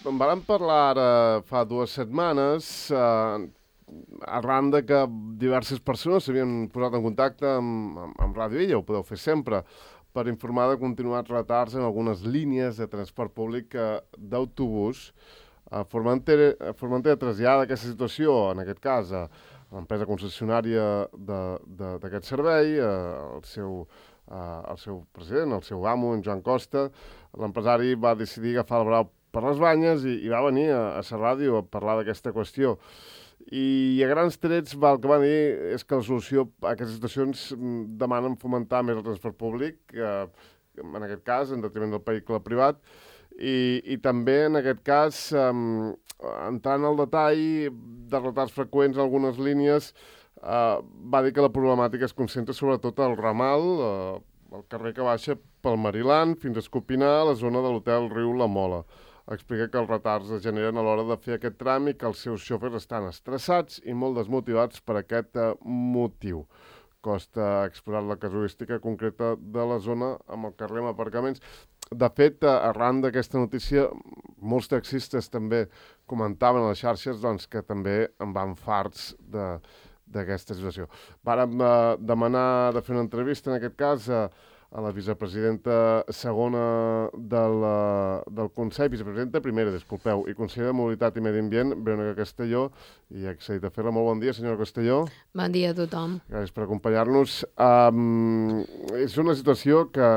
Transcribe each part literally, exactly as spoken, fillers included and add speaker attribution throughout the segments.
Speaker 1: en vàrem parlar ara fa dues setmanes, eh, arran de que diverses persones s'havien posat en contacte amb, amb, amb Ràdio Illa, ho podeu fer sempre, per informar de continuats retards en algunes línies de transport públic eh, d'autobús. A Formentera, Formentera trasllada aquesta situació, en aquest cas, a l'empresa concessionària d'aquest servei, eh, el seu Uh, el seu president, el seu amo, en Joan Costa. L'empresari va decidir agafar el brau per les banyes i, i va venir a, a la ràdio a parlar d'aquesta qüestió. I a grans trets va, el que va dir és que la solució a aquestes situacions demanen fomentar més el transport públic, eh, en aquest cas, en detriment del vehicle privat, i, i també, en aquest cas, eh, entrant al detall de retards freqüents en algunes línies, Uh, va dir que la problemàtica es concentra sobretot al ramal, uh, el carrer que baixa pel Mariland fins a Escopinar, a la zona de l'hotel Riu La Mola. Explica que els retards es generen a l'hora de fer aquest tram i que els seus xòfers estan estressats i molt desmotivats per aquest uh, motiu. Costa exposar la casuística concreta de la zona amb el carrer amb aparcaments. De fet, uh, arran d'aquesta notícia, molts taxistes també comentaven a les xarxes doncs, que també en van farts de d'aquesta situació. Vàrem eh, demanar de fer una entrevista, en aquest cas, a, a la vicepresidenta segona del, del Consell, vicepresidenta primera, disculpeu, i consellera de Mobilitat i Medi Ambient, Verónica Castelló, i ha accedit a fer-la. Molt bon dia, senyora Castelló.
Speaker 2: Bon dia a tothom.
Speaker 1: Gràcies per acompanyar-nos. Um, és una situació que,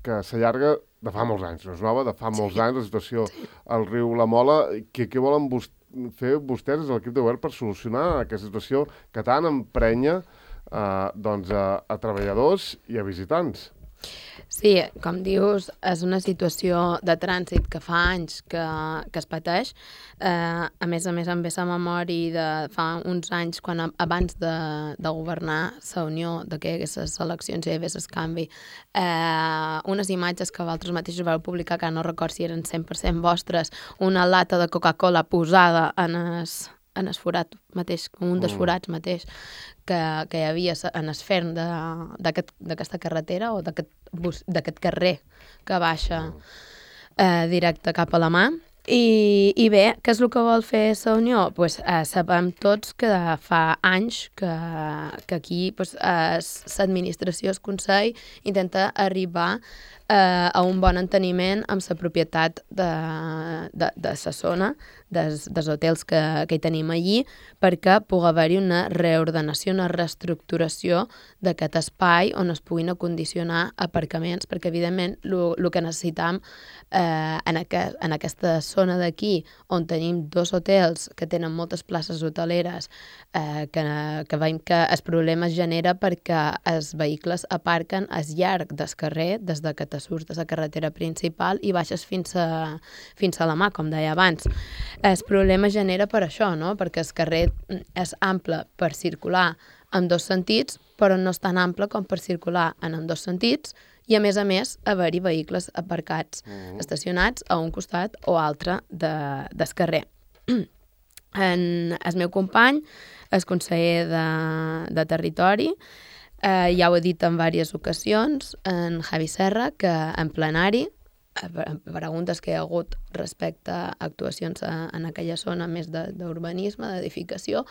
Speaker 1: que s'allarga de fa molts anys, no és nova, de fa molts sí. anys, la situació sí. al riu La Mola. Què, què volen vostès fer vostès des de l'equip de govern per solucionar aquesta situació que tant emprenya eh, doncs a, a treballadors i a visitants?
Speaker 2: Sí, com dius, és una situació de trànsit que fa anys que, que es pateix. Eh, a més a més, em ve la memòria de fa uns anys, quan abans de, de governar la Unió, de que hi hagués les eleccions i hi hagués el canvi, eh, unes imatges que vosaltres mateixos vau publicar, que no record si eren cent per cent vostres, una lata de Coca-Cola posada en es, en el forat mateix, un dels forats mateix, que, que hi havia en el ferm d'aquesta aquest, carretera o d'aquest carrer que baixa eh, directe cap a la mà. I, I bé, què és el que vol fer la Unió? Pues, eh, sabem tots que fa anys que, que aquí pues, eh, l'administració, el Consell, intenta arribar eh, a un bon enteniment amb la propietat de, de, de la zona, dels, dels hotels que, que hi tenim allí, perquè pugui haver-hi una reordenació, una reestructuració d'aquest espai on es puguin acondicionar aparcaments, perquè evidentment el que necessitam eh, en, aquest, en aquesta zona d'aquí, on tenim dos hotels que tenen moltes places hoteleres, eh, que, que veiem que el problema es genera perquè els vehicles aparquen al llarg del carrer, des de que te surts de la carretera principal i baixes fins a, fins a la mà, com deia abans. El problema es genera per això, no? Perquè el carrer és ample per circular en dos sentits, però no és tan ample com per circular en dos sentits, i a més a més haver-hi vehicles aparcats, mm. estacionats a un costat o altre de, del carrer. En el meu company, el conseller de, de Territori, eh, ja ho he dit en diverses ocasions, en Javi Serra, que en plenari, preguntes que hi ha hagut respecte a actuacions en aquella zona més d'urbanisme, d'edificació,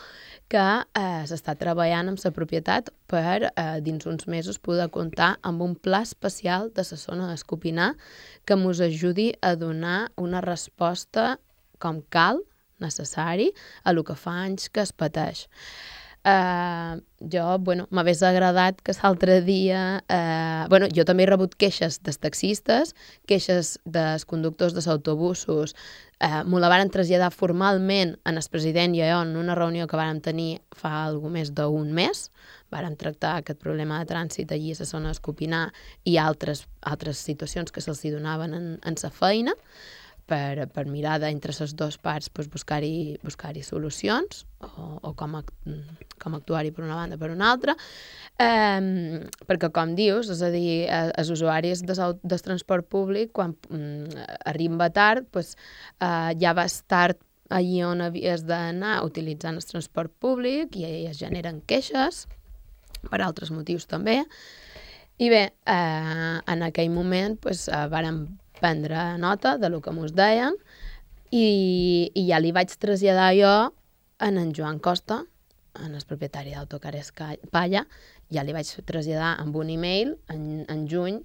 Speaker 2: que eh, s'està treballant amb la propietat per, eh, dins uns mesos, poder comptar amb un pla especial de la zona d'Escopinar que ens ajudi a donar una resposta com cal, necessari, a el que fa anys que es pateix. Uh, jo, bueno, m'hagués agradat que l'altre dia... Uh, bueno, jo també he rebut queixes dels taxistes, queixes dels conductors dels autobusos, uh, m'ho la varen traslladar formalment en el president i jo en una reunió que vàrem tenir fa alguna més d'un mes. Vàrem tractar aquest problema de trànsit allí a la zona d'Escopinar i altres, altres situacions que se'ls donaven en, en la feina, per, per mirar d'entre les dues parts pues, buscar-hi buscar-hi solucions o, o com, com actuar-hi per una banda per una altra, eh, perquè com dius, és a dir, els usuaris del, del transport públic quan mm, arriba tard pues, eh, ja vas tard allí on havies d'anar utilitzant el transport públic i es generen queixes per altres motius també. I bé, eh, en aquell moment pues, eh, vàrem prendre nota de lo que ens deien i, i ja li vaig traslladar jo en en Joan Costa, en el propietari d'Autocares Palla, ja li vaig traslladar amb un e-mail en, en juny,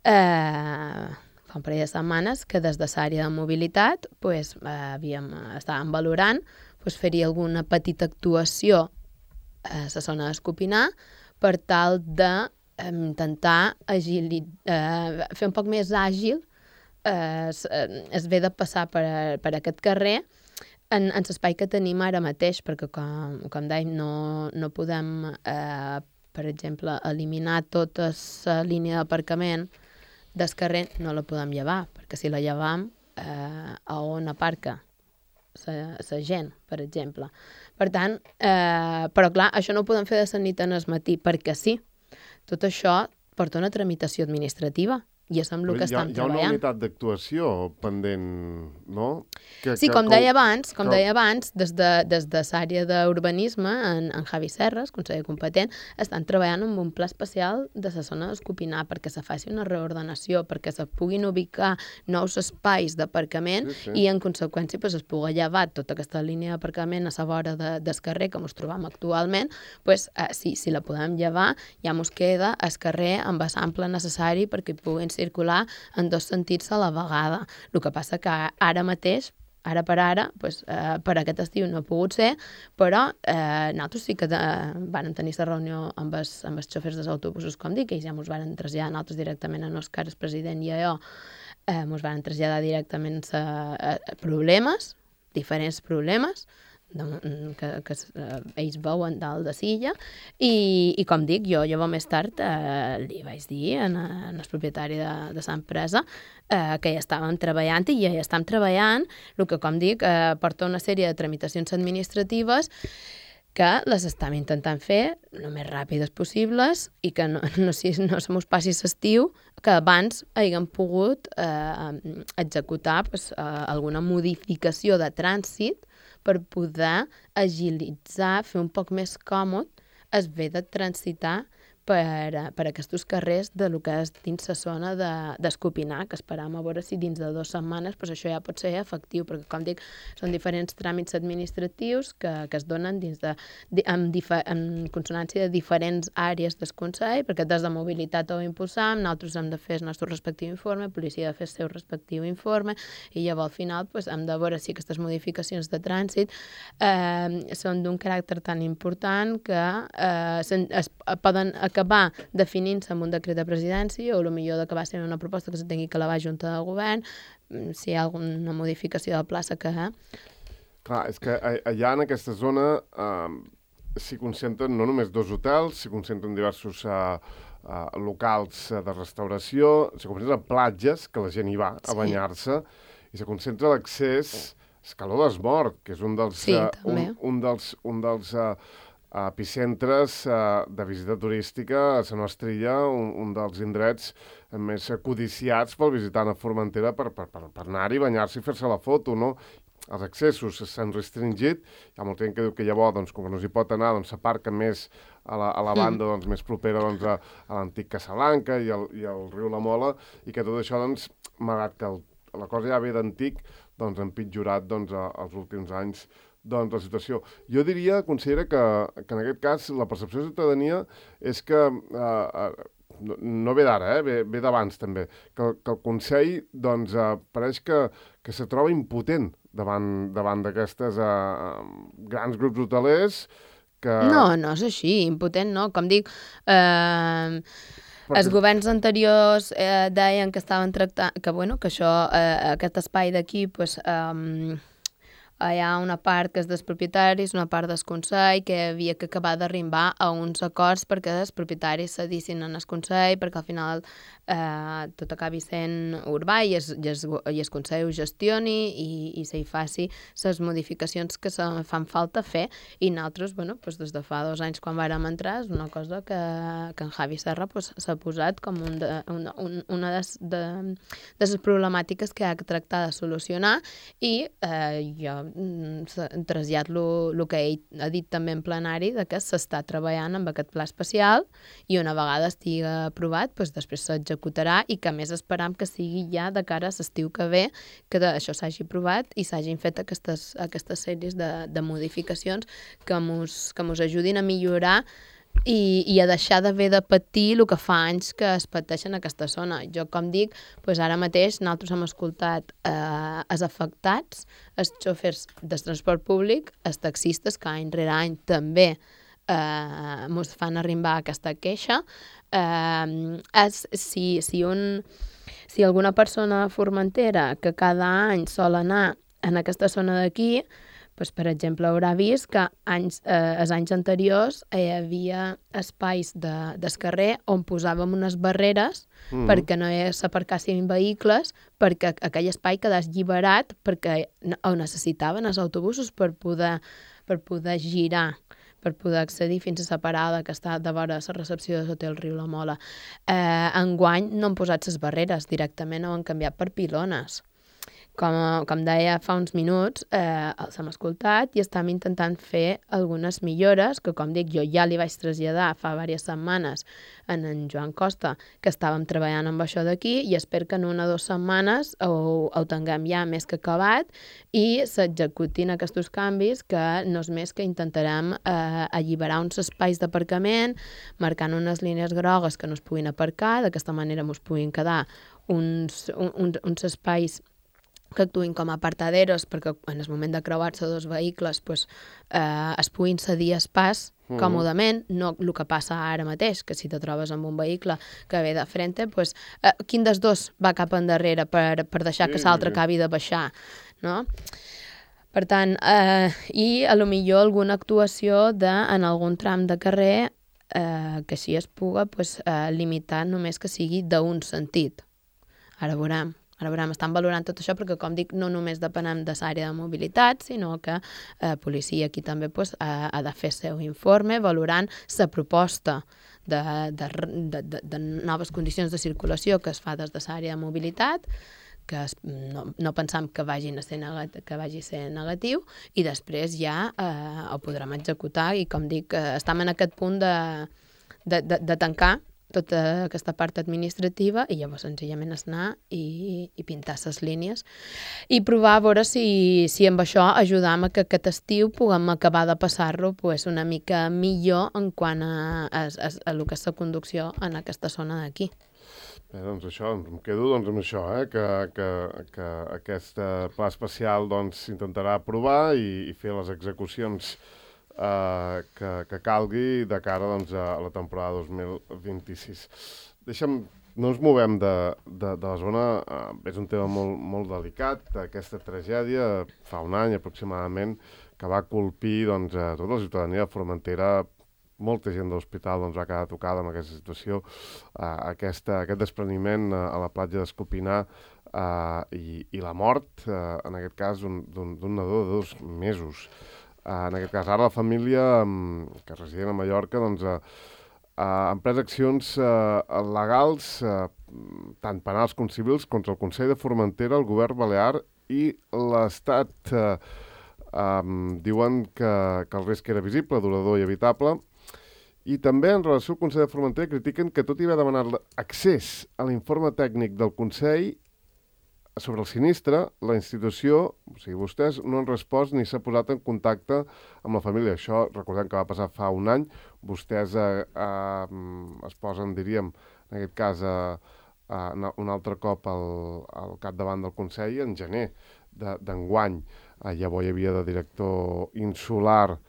Speaker 2: eh, fa un parell de setmanes, que des de l'àrea de mobilitat pues, eh, havíem, estàvem valorant pues, fer-hi alguna petita actuació a la zona d'Escopinar per tal de eh, intentar agili, eh, fer un poc més àgil eh, es, es ve de passar per, per aquest carrer en, en l'espai que tenim ara mateix, perquè com, com dèiem no, no podem, eh, per exemple, eliminar tota la línia d'aparcament del carrer, no la podem llevar, perquè si la llevam, eh, a on aparca la gent, per exemple. Per tant, eh, però clar, això no ho podem fer de la nit en el matí, perquè sí. Tot això porta una tramitació administrativa i és amb el que estem treballant.
Speaker 1: Hi ha una unitat d'actuació pendent, no?
Speaker 2: Que, sí, que, com deia abans, com que... deia abans, des de, des de l'àrea d'urbanisme, en, en Javi Serres, conseller competent, estan treballant en un pla especial de la zona d'Escopinar perquè se faci una reordenació, perquè se puguin ubicar nous espais d'aparcament sí, sí. i, en conseqüència, pues, es pugui llevar tota aquesta línia d'aparcament a la vora de, del carrer, com ens trobam actualment, pues, eh, si, si la podem llevar, ja ens queda el carrer amb l'ample necessari perquè hi puguin circular en dos sentits a la vegada. El que passa que ara mateix, ara per ara, pues, eh, per aquest estiu no ha pogut ser, però eh, nosaltres sí que eh, van tenir la reunió amb els, amb els xofers dels autobusos, com dic, que ja ens van traslladar nosaltres directament a Òscar, el president i a jo, eh, ens van traslladar directament a, a, a problemes, diferents problemes, de, que, que eh, ells veuen dalt de silla i, i com dic, jo llavors més tard eh, li vaig dir en, en el propietari de, de l'empresa eh, que ja estàvem treballant i ja hi estem treballant, el que com dic eh, porta una sèrie de tramitacions administratives que les estem intentant fer el més ràpides possibles i que no, no, si, no se mos passi l'estiu, que abans haguem pogut eh, executar pues, eh, alguna modificació de trànsit per poder agilitzar, fer un poc més còmode es ve de transitar per, per aquests carrers de lo que és dins la zona d'Escopinar, que esperam a veure si dins de dues setmanes pues això ja pot ser efectiu, perquè com dic, són diferents tràmits administratius que, que es donen dins de, de, en, difer, en consonància de diferents àrees del Consell, perquè des de mobilitat ho impulsam, nosaltres hem de fer el nostre respectiu informe, policia ha de fer el seu respectiu informe, i llavors al final pues, hem de veure si aquestes modificacions de trànsit eh, són d'un caràcter tan important que eh, es, es poden acabar definint-se amb un decret de presidència o potser d'acabar sent una proposta que se tingui que elevar a Junta de Govern, si hi ha alguna modificació de plaça que...
Speaker 1: Clar, és que allà en aquesta zona eh, s'hi concentren no només dos hotels, s'hi concentren diversos eh, eh, locals de restauració, s'hi concentren platges, que la gent hi va a sí. banyar-se, i s'hi concentra l'accés Escaló d'Esmort, que és un dels...
Speaker 2: Sí,
Speaker 1: uh,
Speaker 2: també.
Speaker 1: Un, un dels... Un dels uh, epicentres uh, de visita turística a la nostra illa, un, un dels indrets més codiciats pel visitant a Formentera per, per, per, per anar-hi, banyar-se i fer-se la foto, no? Els accessos s'han restringit, hi ha molta gent que diu que llavors, doncs, com que no s'hi pot anar, doncs s'aparca més a la, a la banda doncs, més propera doncs, a, a l'antic Casalanca i al, i al riu La Mola, i que tot això, doncs, malgrat que el, la cosa ja ve d'antic, doncs, ha empitjorat doncs, a, als últims anys doncs, la situació. Jo diria, consellera, que, que en aquest cas la percepció de ciutadania és que, eh, no, no ve d'ara, eh, ve, ve d'abans també, que, que el Consell doncs, eh, pareix que, que se troba impotent davant, davant d'aquestes eh, grans grups hotelers que...
Speaker 2: No, no és així, impotent no, com dic... Eh... Perquè... Els governs anteriors eh, deien que estaven tractant... Que, bueno, que això, eh, aquest espai d'aquí, pues, eh, hi ha una part que és dels propietaris, una part del Consell, que havia que acabar d'arribar a uns acords perquè els propietaris cedissin en el Consell, perquè al final eh, tot acabi sent urbà i es, i es, i el Consell ho gestioni i, i se hi faci les modificacions que se fan falta fer. I nosaltres, bueno, pues des de fa dos anys quan vàrem entrar, és una cosa que, que en Javi Serra pues, s'ha posat com un de, una, un, una de, de, de les problemàtiques que ha de tractar de solucionar i eh, jo trasllat-lo el que ell ha dit també en plenari, de que s'està treballant amb aquest pla especial i una vegada estigui aprovat, doncs després s'executarà i que a més esperam que sigui ja de cara a l'estiu que ve, que això s'hagi aprovat i s'hagin fet aquestes, aquestes sèries de, de modificacions que mos, que mos ajudin a millorar I, i a deixar d'haver de patir el que fa anys que es pateix en aquesta zona. Jo, com dic, doncs ara mateix nosaltres hem escoltat eh, els afectats, els xòfers del transport públic, els taxistes, que any rere any també eh, ens fan arribar aquesta queixa. Eh, és, si, si, un, si alguna persona de Formentera que cada any sol anar en aquesta zona d'aquí, pues, per exemple, haurà vist que anys, eh, els anys anteriors hi havia espais de, del carrer on posàvem unes barreres mm. perquè no s'aparcassin vehicles, perquè aquell espai quedés lliberat perquè ho necessitaven els autobusos per poder, per poder girar, per poder accedir fins a la parada que està de vora la recepció de l'hotel Riu La Mola. Eh, enguany no han posat les barreres, directament ho han canviat per pilones. Com, com deia fa uns minuts, eh, els hem escoltat i estem intentant fer algunes millores que, com dic, jo ja li vaig traslladar fa diverses setmanes en en Joan Costa, que estàvem treballant amb això d'aquí i espero que en una o dues setmanes ho, ho tinguem ja més que acabat i s'executin aquests canvis que no és més que intentarem eh, alliberar uns espais d'aparcament, marcant unes línies grogues que no es puguin aparcar, d'aquesta manera ens puguin quedar uns, un, uns espais que actuïn com a apartaderos perquè en el moment de creuar-se dos vehicles pues, eh, es puguin cedir espais mm. còmodament, no el que passa ara mateix, que si te trobes amb un vehicle que ve de frente, pues, eh, quin dels dos va cap endarrere per, per deixar sí, que l'altre sí. acabi de baixar, no? Per tant, eh, i a lo millor alguna actuació de, en algun tram de carrer eh, que així es puga pues, eh, limitar només que sigui d'un sentit. Ara veurem. Ara veurem, estan valorant tot això perquè, com dic, no només depenem de l'àrea de mobilitat, sinó que la eh, policia aquí també pues, ha, ha de fer el seu informe valorant la proposta de, de, de, de, de noves condicions de circulació que es fa des de l'àrea de mobilitat, que es, no, no pensam que, vagin a ser negat, que vagi a ser negatiu, i després ja eh, ho podrem executar i, com dic, eh, estem en aquest punt de, de, de, de tancar tota aquesta part administrativa i llavors senzillament és anar i, i pintar les línies i provar a veure si, si amb això ajudam a que aquest estiu puguem acabar de passar-lo pues, una mica millor en quant a, a, a, a el que és la conducció en aquesta zona d'aquí.
Speaker 1: Bé, doncs això, em quedo doncs, amb això, eh? que, que, que aquest pla especial doncs, intentarà aprovar i, i fer les execucions Uh, que, que calgui de cara doncs, a la temporada dos mil vint-i-sis. Deixa'm, no ens movem de, de, de la zona, uh, és un tema molt, molt delicat, aquesta tragèdia fa un any aproximadament que va colpir doncs, a tota la ciutadania de Formentera. Molta gent de l'hospital doncs, va quedar tocada amb aquesta situació, uh, aquesta, aquest despreniment uh, a la platja d'Escopinar uh, i, i la mort, uh, en aquest cas, d'un nadó de dos mesos. Uh, en aquest cas, ara la família um, que residien a Mallorca doncs, uh, uh, han pres accions uh, legals, uh, tant penals com civils, contra el Consell de Formentera, el govern balear i l'Estat. Uh, um, diuen que, que el risc era visible, durador i evitable. I també, en relació al Consell de Formentera, critiquen que tot i haver demanat accés a l'informe tècnic del Consell sobre el sinistre, la institució, o sigui, vostès no han respost ni s'ha posat en contacte amb la família. Això, recordem que va passar fa un any, vostès eh, eh, es posen, diríem, en aquest cas, eh, eh, un altre cop al, al capdavant del Consell en gener d'enguany. Eh, llavors hi havia de director insular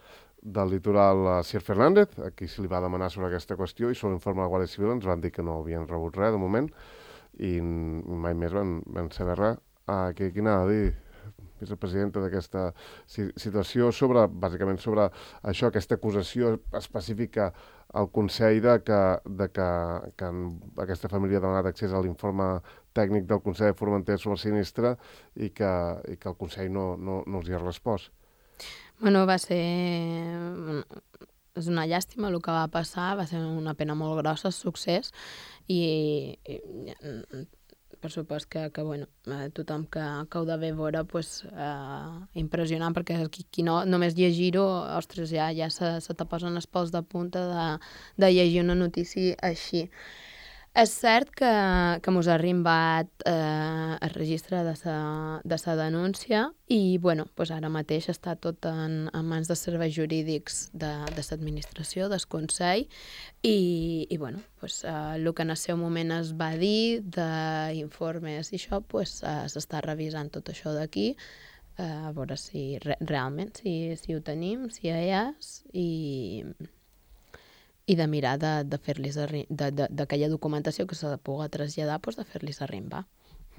Speaker 1: del litoral eh, Sir Fernández, a qui se li va demanar sobre aquesta qüestió, i sobre l'informe de la Guàrdia Civil ens van dir que no havien rebut res de moment, i mai més van, van saber res. Ah, què, què anava a dir, vicepresidenta, d'aquesta situació, sobre, bàsicament sobre això, aquesta acusació específica al Consell de que, de que, que aquesta família ha demanat accés a l'informe tècnic del Consell de Formentera sobre el sinistre i que, i que el Consell no, no, no els hi ha respost.
Speaker 2: Bueno, va ser... És una llàstima el que va passar, va ser una pena molt grossa el succés i, i per supost que, que bueno, eh, tothom que, que ho devé veure, pues, eh, impressionant, perquè qui, qui no, només llegir-ho, ostres, ja, ja se, se te posen els pèls de punta de, de llegir una notícia així. És cert que, que mos ha arribat eh, el registre de sa, de sa denúncia i, bueno, pues ara mateix està tot en, en mans dels serveis jurídics de, de l'administració, del Consell, i, i bueno, pues, eh, el que en el seu moment es va dir d'informes i això, pues, eh, s'està revisant tot això d'aquí, eh, a veure si re, realment, si, si ho tenim, si hi és, i... i de mirar de, de fer-los d'aquella documentació que s'ha de poder traslladar, doncs de fer-los arribar.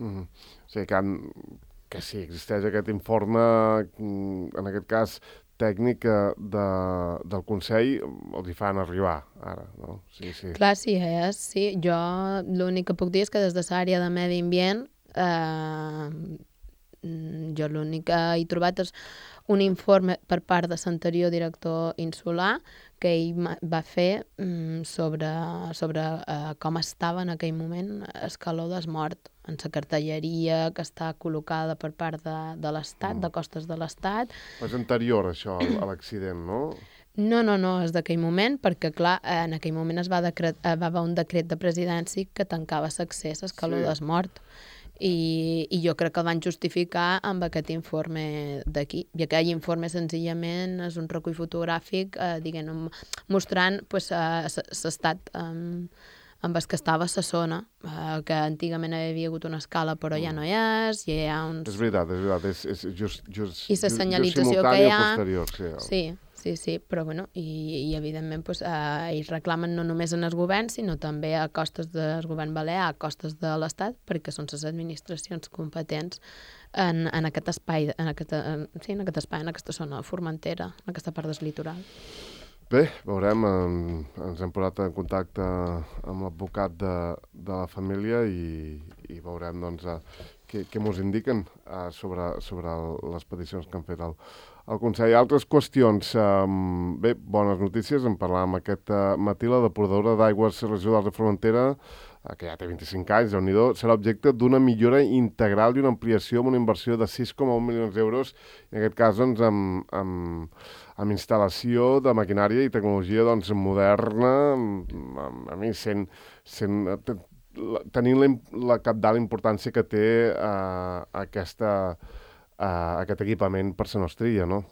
Speaker 1: Mm-hmm. O sigui que, han, que sí, existeix aquest informe, en aquest cas tècnic de, del Consell, els hi fan arribar ara, no? Sí, sí.
Speaker 2: Clar, sí, és, sí. Jo l'únic que puc dir és que des de l'àrea de medi ambient eh, jo l'únic que he trobat és un informe per part de l'anterior director insular que ell va fer mm, sobre, sobre uh, com estava en aquell moment el calor del mort en la cartelleria que està col·locada per part de, de l'Estat, mm. de costes de l'Estat.
Speaker 1: És anterior, això, a l'accident, no?
Speaker 2: No, no, no, és d'aquell moment, perquè, clar, en aquell moment es va, decret, va haver un decret de presidència que tancava l'accés al calor sí. del mort. I, i jo crec que el van justificar amb aquest informe d'aquí. I aquell informe senzillament és un recull fotogràfic eh, diguem, mostrant pues, l'estat um, amb el que estava a la zona, eh, que antigament havia hagut una escala però ja no hi és, i hi ha uns...
Speaker 1: És veritat, és veritat, és, és just, just,
Speaker 2: I la senyalització que hi ha...
Speaker 1: Posterior, sí,
Speaker 2: sí, sí, sí, però bueno, i, i evidentment pues, eh, ells reclamen no només en el govern, sinó també a costes del govern balear, a costes de l'Estat, perquè són les administracions competents en, en aquest espai, en aquesta, en, sí, en aquest espai, en aquesta zona formentera, en aquesta part del litoral.
Speaker 1: Bé, veurem, ens hem posat en contacte amb l'advocat de, de la família i, i veurem doncs, què, què mos indiquen uh, sobre, sobre les peticions que han fet el, el Consell. Altres qüestions. Um, bé, bones notícies, en parlàvem aquest uh, matí, la depuradora d'aigües residuals de Formentera, uh, que ja té vint-i-cinc anys, déu-n'hi-do, serà objecte d'una millora integral i una ampliació amb una inversió de sis coma un milions d'euros, en aquest cas doncs, amb, amb, amb instal·lació de maquinària i tecnologia doncs, moderna, amb, a mi sent, sent, tenint la, la capdalt importància que té uh, aquesta, uh, aquest equipament per la nostra illa, no?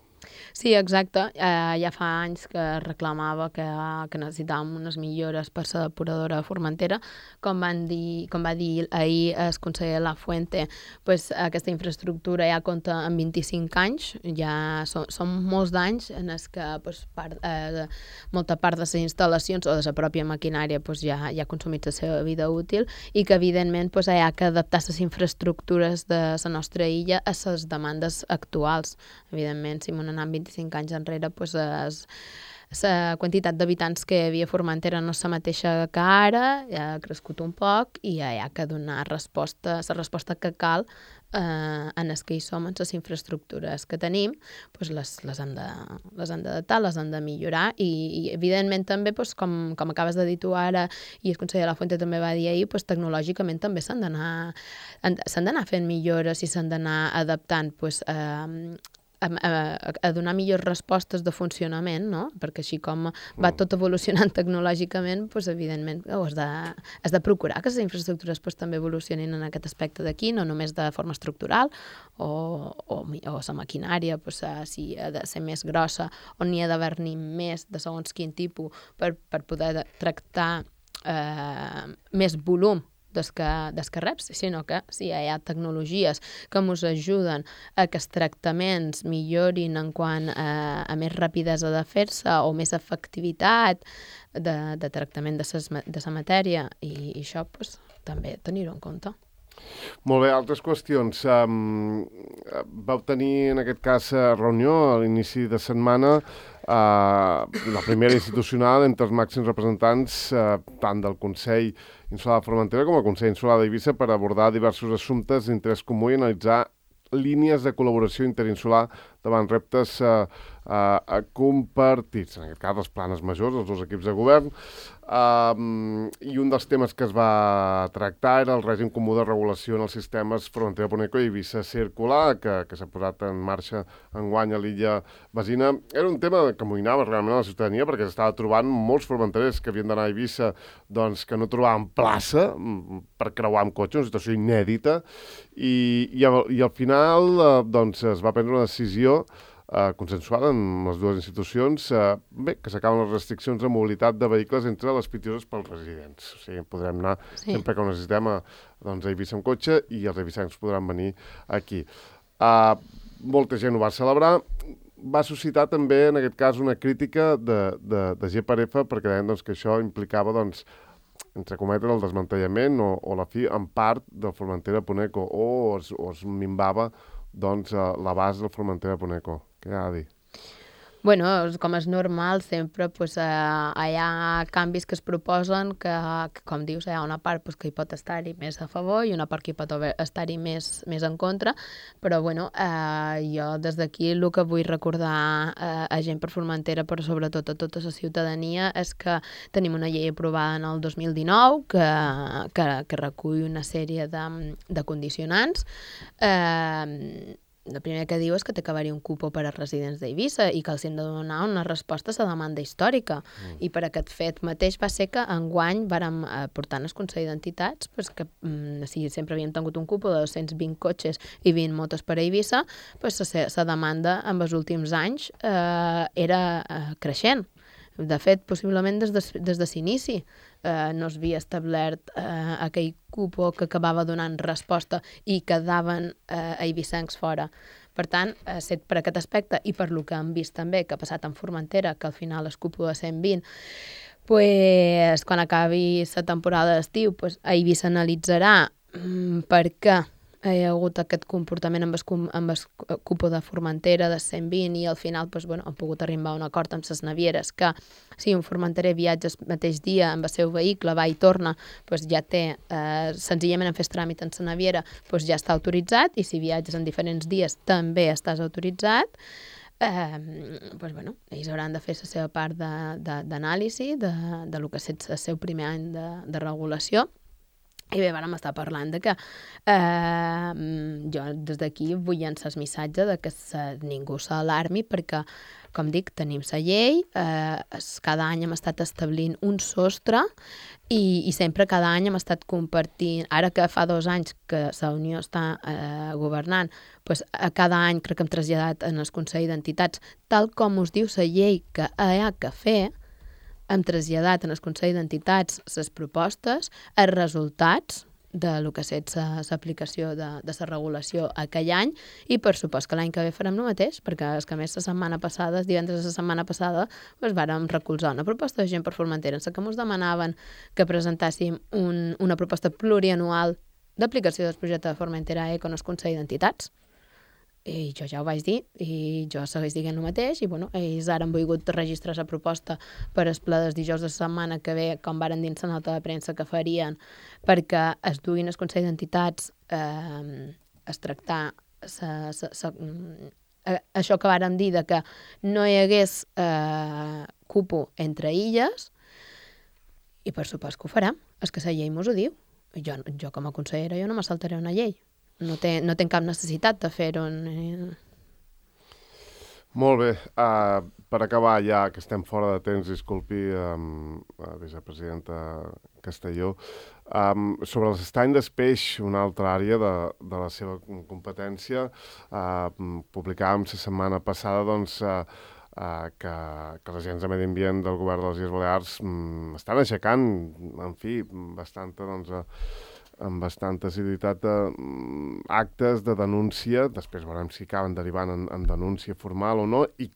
Speaker 2: Sí, exacte. Eh, ja fa anys que reclamava que, que necessitàvem unes millores per la depuradora de Formentera. Com, van dir, com va dir ahir el conseller Lafuente, pues, aquesta infraestructura ja compta amb vint-i-cinc anys, ja són, són molts d'anys en els que pues, part, eh, molta part de les instal·lacions o de la pròpia maquinària pues, ja, ja ha consumit la seva vida útil i que evidentment pues, hi ha que adaptar les infraestructures de la nostra illa a les demandes actuals. Evidentment, si m'ho anant vint-i-cinc anys enrere, pues, la quantitat d'habitants que hi havia a Formentera no és la mateixa que ara, ja ha crescut un poc i ja hi ha que donar resposta, la resposta que cal eh, en els que hi som, en les infraestructures que tenim, pues les, les han de, les han d'adaptar, les han de millorar i, i evidentment també, pues, com, com acabes de dir tu ara i el conseller Lafuente també va dir ahir, pues, tecnològicament també s'han d'anar s'han d'anar fent millores i s'han d'anar adaptant pues, eh, A, a, a donar millors respostes de funcionament, no? Perquè així com va tot evolucionant tecnològicament, doncs, evidentment, oh, has, de, has de procurar que les infraestructures pues, també evolucionin en aquest aspecte d'aquí, no només de forma estructural, o, o, o la maquinària, pues, si ha de ser més grossa, o n'hi ha d'haver-n'hi més de segons quin tipus per, per poder tractar eh, més volum des que, des que reps, sinó que sí, hi ha tecnologies que ens ajuden a que els tractaments millorin en quant a, a més rapidesa de fer-se o més efectivitat de, de tractament de la matèria i, i això pues, també tenir-ho en compte.
Speaker 1: Molt bé, altres qüestions. Um, vau tenir, en aquest cas, reunió a l'inici de setmana, uh, la primera institucional entre els màxims representants uh, tant del Consell Insular de Formentera com el Consell Insular d'Eivissa per abordar diversos assumptes d'interès comú i analitzar línies de col·laboració interinsular davant reptes uh, uh, compartits, en aquest cas les planes majors, els dos equips de govern, uh, i un dels temes que es va tractar era el règim comú de regulació en els sistemes Formentera Poneco i Eivissa Circular, que, que s'ha posat en marxa enguany a l'illa Besina. Era un tema que amoïnava realment a la ciutadania perquè s'estava trobant molts formenterers que havien d'anar a Eivissa doncs, que no trobaven plaça per creuar amb cotxe, una situació inèdita, i, i, al, i al final eh, doncs, es va prendre una decisió eh, consensuada amb les dues institucions, eh, bé, que s'acaben les restriccions de mobilitat de vehicles entre les pitioses pels residents. O sigui, podrem anar sí. sempre que ho necessitem a, doncs, a Eivissa amb cotxe i els eivissencs podran venir aquí. Uh, molta gent ho va celebrar. Va suscitar també, en aquest cas, una crítica de, de, de G per F perquè deien doncs, que això implicava, doncs, entre cometes, el desmantellament o, o la fi, en part, del Formentera Poneco, o es, o es minvava doncs, l'abast del Formentera Poneco. Què ha de dir?
Speaker 2: Bueno, com és normal, sempre pues, eh, hi ha canvis que es proposen que, que com dius, hi ha una part pues, que hi pot estar-hi més a favor i una part que hi pot estar-hi més, més en contra, però bueno, eh, jo des d'aquí el que vull recordar eh, a Gent per Formentera, però sobretot a tota la ciutadania, és que tenim una llei aprovada en el dos mil dinou que, que, que recull una sèrie de, de condicionants. Eh, El primer que diu és que té que haver-hi un cupo per a residents d'Eivissa i que els hem de donar una resposta a la demanda històrica. Mm. I per aquest fet mateix va ser que enguany vàrem eh, portar en el Consell d'Entitats pues, que mm, si sempre havíem tingut un cupo de dos-cents vint cotxes i vint motos per a Eivissa, pues, la demanda en els últims anys eh, era eh, creixent. De fet, possiblement des de, des de l'inici eh, no es havia establert eh, aquell cupo que acabava donant resposta i quedaven eh, eivissencs fora. Per tant, eh, set per aquest aspecte i per lo que hem vist també que ha passat en Formentera, que al final el cupo de cent vint, pues, quan acabi la temporada d'estiu, pues, Eivissa analitzarà mm, per què hi ha hagut aquest comportament amb el, amb el cupo de Formentera de cent vint i al final pues, bueno, han pogut arribar a un acord amb les navieres que si un formenterer viatja el mateix dia amb el seu vehicle, va i torna, pues, ja té, eh, senzillament en fer tràmit en la naviera, pues, ja està autoritzat i si viatges en diferents dies també estàs autoritzat. Eh, pues, bueno, ells hauran de fer la seva part d'anàlisi de, de, de, de lo que és el seu primer any de, de regulació. I bé, vàrem estar parlant de que eh, jo des d'aquí vull llançar el missatge de que se, ningú s'alarmi perquè, com dic, tenim la llei, eh, cada any hem estat establint un sostre i, i sempre cada any hem estat compartint, ara que fa dos anys que la Unió està eh, governant, pues, a cada any crec que hem traslladat en el Consell d'Entitats, tal com us diu la llei que hi ha que fer, hem traslladat en el Consell d'Entitats les propostes, els resultats de lo que és l'aplicació de, de la regulació aquell any i per supost que l'any que ve farem el mateix, perquè és que a més la setmana passada, els divendres de la setmana passada, doncs vàrem recolzar una proposta de Gent per Formentera en la que ens demanaven que presentàssim un, una proposta plurianual d'aplicació del projecte de Formentera Eco en el Consell d'Entitats. I jo ja ho vaig dir, i jo segueix dient el mateix, i bueno, ells ara han volgut registrar la proposta per el ple dels dijous de la setmana que ve, com varen dins la nota de premsa que farien, perquè es duguin el Consell d'Entitats eh, es tractar sa, sa, sa, eh, això que varen dir de que no hi hagués eh, cupo entre illes, i per supost que ho farem, és que la llei mos ho diu. Jo, jo com a consellera jo no me saltaré una llei. No té, no té cap necessitat de fer-ho.
Speaker 1: Molt bé. Uh, per acabar, ja que estem fora de temps, disculpi, um, la vicepresidenta Castelló, um, sobre l'estany d'espeix, una altra àrea de, de la seva competència, uh, publicàvem la setmana passada doncs, uh, uh, que, que les agents de medi ambient del govern de les Illes Balears um, estan aixecant, en fi, bastanta, doncs, uh, amb bastanta assiduïtat de mm, actes de denúncia, després veurem si acaben derivant en, en denúncia formal o no, i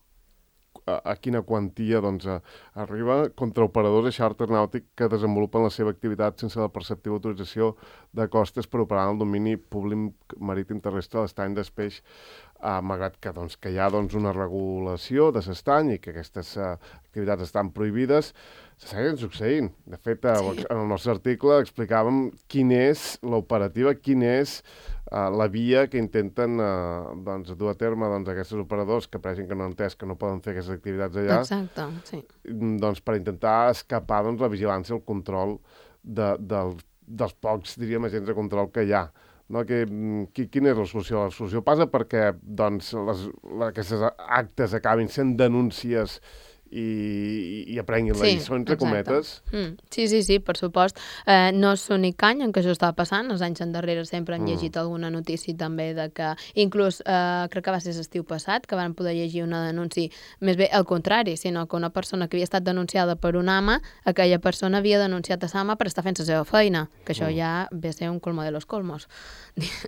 Speaker 1: a, a quina quantia doncs, a, arriba contra operadors de xàrter nàutic que desenvolupen la seva activitat sense la perceptiva autorització de costes per operar en el domini públic marítim terrestre de l'estany d'Espeix, eh, malgrat que, doncs, que hi ha doncs, una regulació de l'estany i que aquestes eh, activitats estan prohibides. Se segueixen succeint. De fet, sí. En el nostre article explicàvem quina és l'operativa, quin és uh, la via que intenten uh, doncs, dur a terme doncs, aquests operadors que apareixen que no han entès que no poden fer aquestes activitats allà.
Speaker 2: Exacte, sí.
Speaker 1: Doncs, per intentar escapar doncs, la vigilància, el control de, del, dels pocs, diríem, agents de control que hi ha. No? Que, qui, quina és la solució? La solució passa perquè doncs, les, les, aquestes actes acabin sent denúncies i, i aprenguin la
Speaker 2: sí,
Speaker 1: lliçó, entre
Speaker 2: exacte.
Speaker 1: cometes.
Speaker 2: Mm. Sí, sí, sí, per supost. Eh, no és l'únic any en què això estava passant. Els anys endarrere sempre hem llegit mm. alguna notícia també de que, inclús, eh, crec que va ser l'estiu passat, que van poder llegir una denúncia, més bé al contrari, sinó que una persona que havia estat denunciada per un ama, aquella persona havia denunciat a l'ama per estar fent la seva feina, que això mm. ja ve a ser un colmo de los colmos,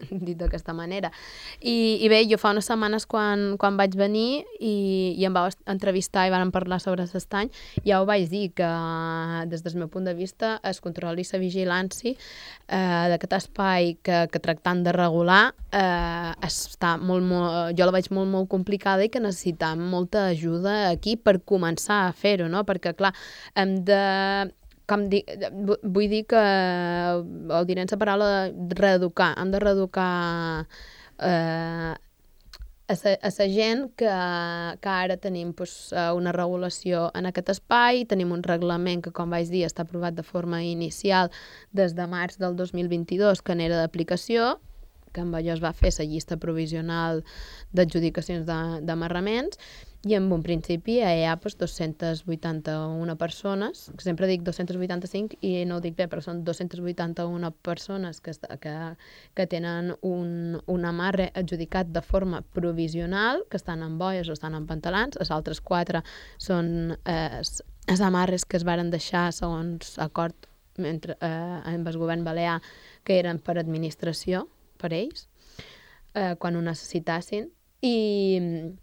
Speaker 2: dit d'aquesta manera. I, I bé, jo fa unes setmanes quan, quan vaig venir i, i em vau entrevistar i van parlar sobre l'estany, ja ho vaig dir que des del meu punt de vista es controli la vigilància eh, d'aquest espai que, que tractant de regular eh, està molt, molt, jo la veig molt, molt complicada i que necessitam molta ajuda aquí per començar a fer-ho, no? Perquè clar, hem de com dic, vull dir que ho diré en la paraula reeducar, hem de reeducar eh, a la gent que, que ara tenim pues, una regulació en aquest espai, tenim un reglament que, com vaig dir, està aprovat de forma inicial des de març del dos mil vint-i-dos, que n'era d'aplicació, que amb allò es va fer la llista provisional d'adjudicacions d'amarraments, i en un principi hi ha pues, dos-centes vuitanta-una persones, que sempre dic dos-centes vuitanta-cinc i no ho dic bé, però són dos-centes vuitanta-una persones que, que, que tenen un, un amarre adjudicat de forma provisional, que estan en boies o estan en pantalans, els altres quatre són eh, els amarres que es varen deixar segons acord entre, eh, amb el govern balear, que eren per administració, per ells, eh, quan ho necessitassin. I...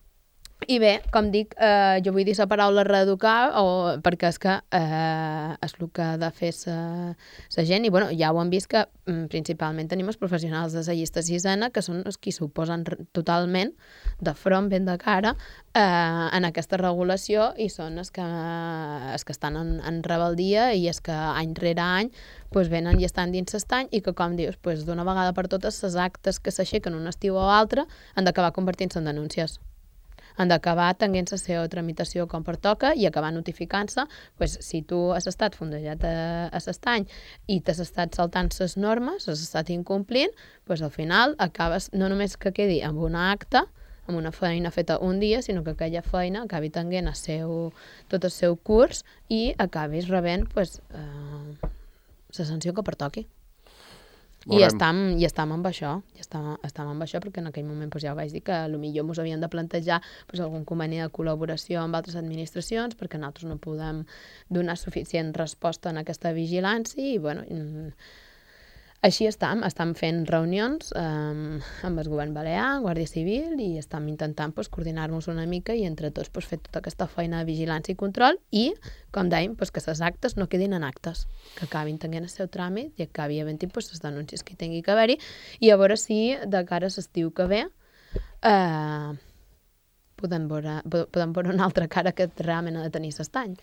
Speaker 2: I bé, com dic, eh, jo vull dir la paraula reeducar o, perquè és que eh, és el que ha de fer la gent i bueno, ja ho hem vist que mm, principalment tenim els professionals de la llista sisena que són els qui s'oposen totalment de front, ben de cara eh, en aquesta regulació i són els que, els que estan en, en rebeldia i els que any rere any pues, venen i estan dins l'estany i que com dius, pues, d'una vegada per totes les actes que s'aixequen un estiu o altre han d'acabar convertint-se en denúncies. Han d'acabar tenint la seva tramitació com pertoca i acabar notificant-se, pues, si tu has estat fondejat a, a l'estany i t'has estat saltant les normes, has estat incomplint, pues, al final acabes no només que quedi amb una acta, amb una feina feta un dia, sinó que aquella feina acabi tenint el seu, tot el seu curs i acabis rebent pues, eh, la sanció que pertoqui. I estem, i estem amb això, i estem, estem amb això perquè en aquell moment pues, ja ho vaig dir que potser ens havien de plantejar pues, algun conveni de col·laboració amb altres administracions perquè nosaltres no podem donar suficient resposta en aquesta vigilància i bueno, així estem, estem fent reunions eh, amb el govern balear, Guàrdia Civil i estem intentant pues, coordinar-nos una mica i entre tots pues, fer tota aquesta feina de vigilància i control i, com dèiem, pues, que les actes no quedin en actes, que acabin tenint el seu tràmit i acabi havent-hi pues, les denúncies que hi tingui que haver-hi i a veure si de cara a l'estiu que ve eh, podem, veure, podem veure una altra cara que realment ha de tenir l'estany.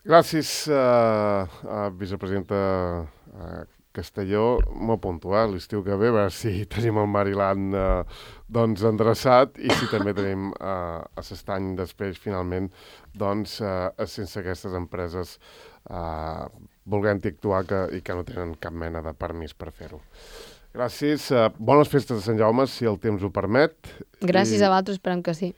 Speaker 1: Gràcies, uh, uh, vicepresidenta uh, Castelló, molt puntual, l'estiu que ve, a veure si tenim el Mariland eh, doncs endreçat i si també tenim eh, a l'estany després, finalment, doncs, eh, sense aquestes empreses eh, volent-hi actuar que, i que no tenen cap mena de permís per fer-ho. Gràcies, eh, bones festes de Sant Jaume, si el temps ho permet.
Speaker 2: Gràcies
Speaker 1: I...
Speaker 2: a vosaltres, esperem que sí.